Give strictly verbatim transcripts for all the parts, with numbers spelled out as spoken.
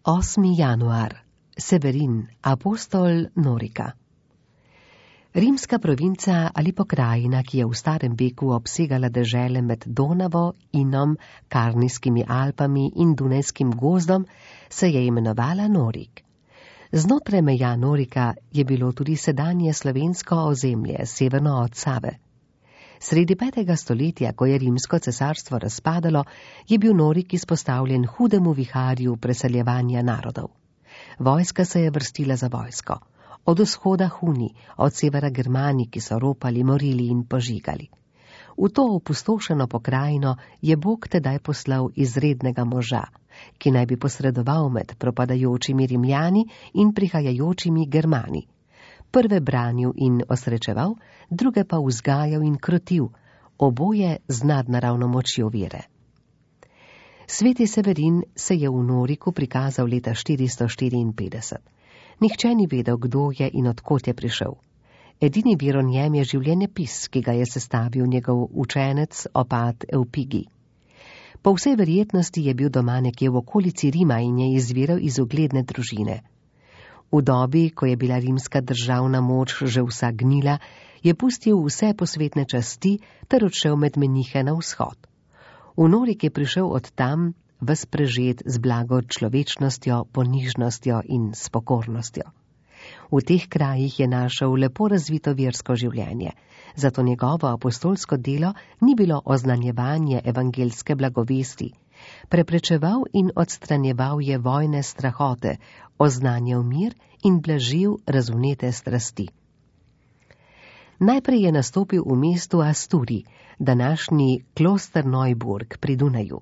osmi januar. Severin, apostol Norika. Rimska provinca ali pokrajina, ki je v starem veku obsegala dežele med Donavo, Inom, Karnijskimi Alpami in Dunajskim gozdom, se je imenovala Norik. Znotraj meja Norika je bilo tudi sedanje slovensko ozemlje, severno od Save. Sredi petega stoletja, ko je rimsko cesarstvo razpadalo, je bil Norik izpostavljen hudemu viharju preseljevanja narodov. Vojska se je vrstila za vojsko. Od vzhoda Huni, od severa Germani, ki so ropali, morili in požigali. V to opustošeno pokrajino je Bog tedaj poslal izrednega moža, ki naj bi posredoval med propadajočimi Rimljani in prihajajočimi Germani. Prve branil in osrečeval, druge pa vzgajal in krotil, oboje z nadnaravno močjo vere. Sveti Severin se je v Noriku prikazal leta štiristo štiriinpetdeset. Nihče ni vedel, kdo je in odkot je prišel. Edini vir o njem je življenjepis, ki ga je sestavil njegov učenec, opat Eupigi. Po vsej verjetnosti je bil doma nekje v okolici Rima in je izviral iz ugledne družine. V dobi, ko je bila rimska državna moč že vsa gnila, je pustil vse posvetne časti ter odšel med menihe na vzhod. V Norik je prišel od tam ves prežet z blago človečnostjo, ponižnostjo in spokornostjo. V teh krajih je našel lepo razvito versko življenje, zato njegovo apostolsko delo ni bilo oznanjevanje evangelske blagovesti. Preprečeval in odstranjeval je vojne strahote, oznanjal mir in blažil razvnete strasti. Najprej je nastopil v mestu Asturi, današnji Klosterneuburg pri Dunaju.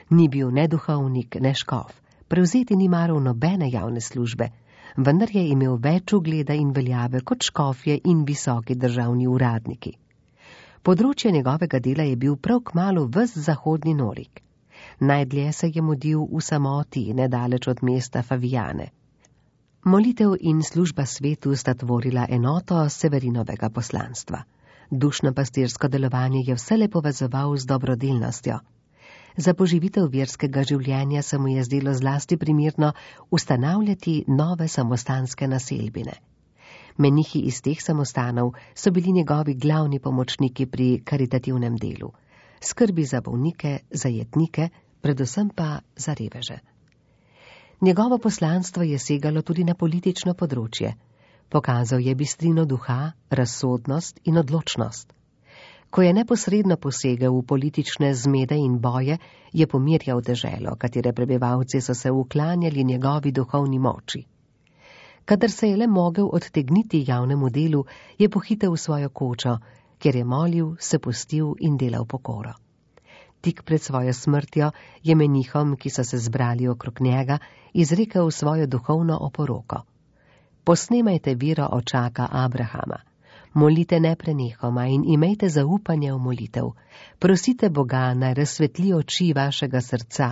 Ni bil ne duhovnik, ne škof, prevzeti ni maral nobene javne službe, vendar je imel več ugleda in veljave kot škofje in visoki državni uradniki. Področje njegovega dela je bil prav kmalu ves zahodni Norik. Najdlje se je mudil v samoti, nedaleč od mesta Faviane. Molitev in služba svetu sta tvorila enoto Severinovega poslanstva. Dušno pastirsko delovanje je vselej povezoval z dobrodelnostjo. Za poživitev verskega življenja se mu je zdelo zlasti primirno ustanavljati nove samostanske naselbine. Menihi iz teh samostanov so bili njegovi glavni pomočniki pri karitativnem delu, skrbi za bolnike, za jetnike, predvsem pa za reveže. Njegovo poslanstvo je segalo tudi na politično področje. Pokazal je bistrino duha, razsodnost in odločnost. Ko je neposredno posegel v politične zmede in boje, je pomirjal deželo, katere prebivalci so se uklanjali njegovi duhovni moči. Kadar se je le mogel odtegniti javnemu delu, je pohitel v svojo kočo, kjer je molil, se pustil in delal pokoro. Tik pred svojo smrtjo je menihom, ki so se zbrali okrog njega, izrekel svojo duhovno oporoko. Posnemajte vero očaka Abrahama. Molite neprenehoma in imejte zaupanje v molitev. Prosite Boga, naj razsvetli oči vašega srca.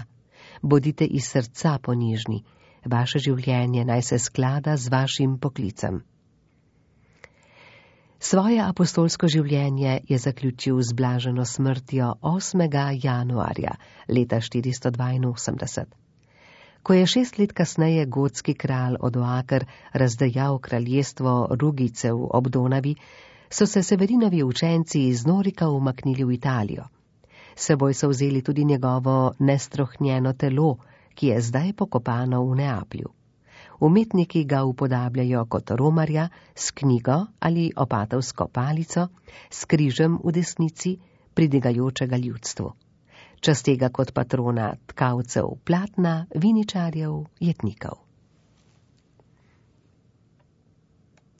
Bodite iz srca ponižni. Vaše življenje naj se sklada z vašim poklicem. Svoje apostolsko življenje je zaključil z blaženo smrtjo osmega januarja leta štiristo dvainosemdeset. Ko je šest let kasneje gotski kralj Odoaker razdejal kraljestvo Rugicev ob Donavi, so se Severinovi učenci iz Norika umaknili v Italijo. S seboj so vzeli tudi njegovo nestrohnjeno telo, ki je zdaj pokopano v Neaplju. Umetniki ga upodabljajo kot romarja s knjigo ali opatovsko palico, s križem v desnici, pridigajočega ljudstvu. Častega kot patrona tkavcev platna, viničarjev, jetnikov.